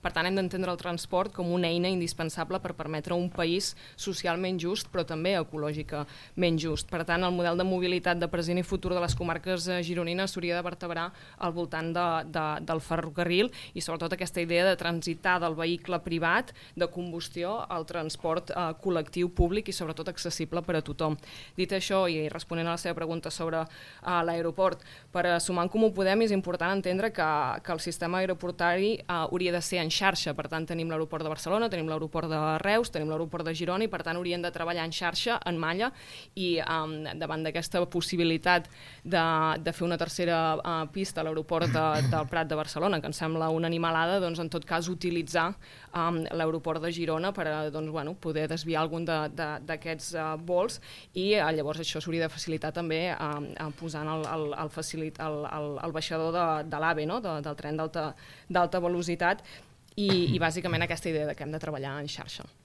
Per tant, hem d'entendre el transport com una eina indispensable per permetre un país socialment just, però també ecològicament just. Per tant, el model de mobilitat de present i futur de les comarques gironines s'hauria de vertebrar al voltant del ferrocarril i sobretot aquesta idea de transitar del vehicle privat de combustió al transport col·lectiu públic i sobretot accessible per a tothom. Dit això, i responent a la seva pregunta sobre l'aeroport, per sumar en Comú Podem és important entendre que el sistema aeroportari hauria de ser en xarxa. Per tant, tenim l'aeroport de Barcelona, tenim l'aeroport de Reus, tenim l'aeroport de Girona i per tant haurien de treballar en xarxa, en malla, i davant d'aquesta possibilitat de fer una tercera pista a l'aeroport del Prat de Barcelona, que ens sembla una animalada, doncs en tot cas utilitzar l'aeroport de Girona per poder desviar algun d'aquests vols i llavors això s'hauria de facilitar també posant el baixador de l'AVE, no? Del tren d'alta velocitat i bàsicament aquesta idea que hem de treballar en xarxa.